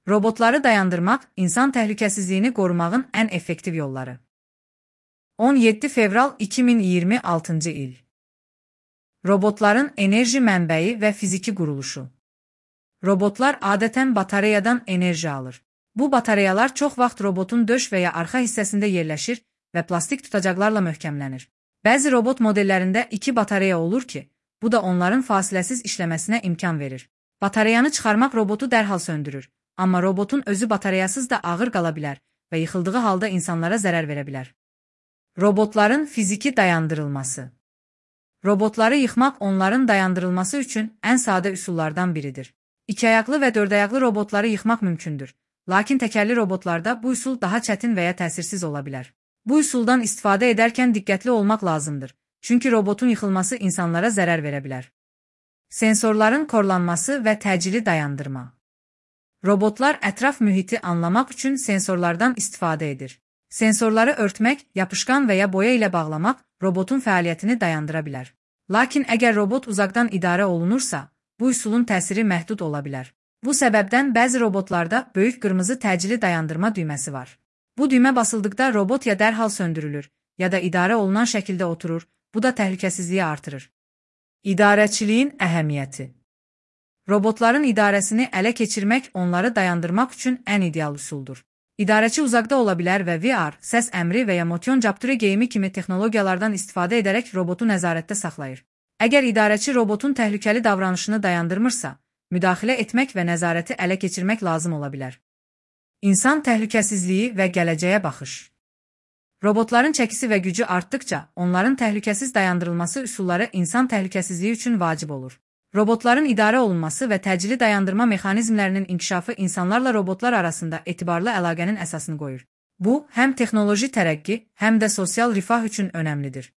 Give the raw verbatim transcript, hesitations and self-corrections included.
Robotları dayandırmaq, insan təhlükəsizliyini qorumağın ən effektiv yolları. on yeddi fevral iki min iyirmi altıncı il. Robotların enerji mənbəyi və fiziki quruluşu. Robotlar adətən batareyadan enerji alır. Bu batareyalar çox vaxt robotun döş və ya arxa hissəsində yerləşir və plastik tutacaqlarla möhkəmlənir. Bəzi robot modellərində iki batareya olur ki, bu da onların fasiləsiz işləməsinə imkan verir. Batareyanı çıxarmaq robotu dərhal söndürür, amma robotun özü batareyasız da ağır qala bilər və yıxıldığı halda insanlara zərər verə bilər. Robotların fiziki dayandırılması. Robotları yıxmaq onların dayandırılması üçün ən sadə üsullardan biridir. İki ayaqlı və dörd ayaqlı robotları yıxmaq mümkündür, lakin təkərli robotlarda bu üsul daha çətin və ya təsirsiz ola bilər. Bu üsuldan istifadə edərkən diqqətli olmaq lazımdır, çünki robotun yıxılması insanlara zərər verə bilər. Sensorların korlanması və təcili dayandırma. Robotlar ətraf mühiti anlamaq üçün sensorlardan istifadə edir. Sensorları örtmək, yapışqan və ya boya ilə bağlamaq robotun fəaliyyətini dayandıra bilər. Lakin əgər robot uzaqdan idarə olunursa, bu üsulun təsiri məhdud ola bilər. Bu səbəbdən bəzi robotlarda böyük qırmızı təcili dayandırma düyməsi var. Bu düymə basıldıqda robot ya dərhal söndürülür, ya da idarə olunan şəkildə oturur, bu da təhlükəsizliyi artırır. İdarəçiliyin əhəmiyyəti. Robotların idarəsini ələ keçirmək onları dayandırmaq üçün ən ideal üsuldur. İdarəçi uzaqda ola bilər və V R, səs əmri və ya motion capture geyimi kimi texnologiyalardan istifadə edərək robotu nəzarətdə saxlayır. Əgər idarəçi robotun təhlükəli davranışını dayandırmırsa, müdaxilə etmək və nəzarəti ələ keçirmək lazım ola bilər. İnsan təhlükəsizliyi və gələcəyə baxış. Robotların çəkisi və gücü artdıqca, onların təhlükəsiz dayandırılması üsulları insan təhlükəsizliyi üçün vacib olur. Robotların idarə olunması və təcili dayandırma mexanizmlərinin inkişafı insanlarla robotlar arasında etibarlı əlaqənin əsasını qoyur. Bu, həm texnoloji tərəqqi, həm də sosial rifah üçün önəmlidir.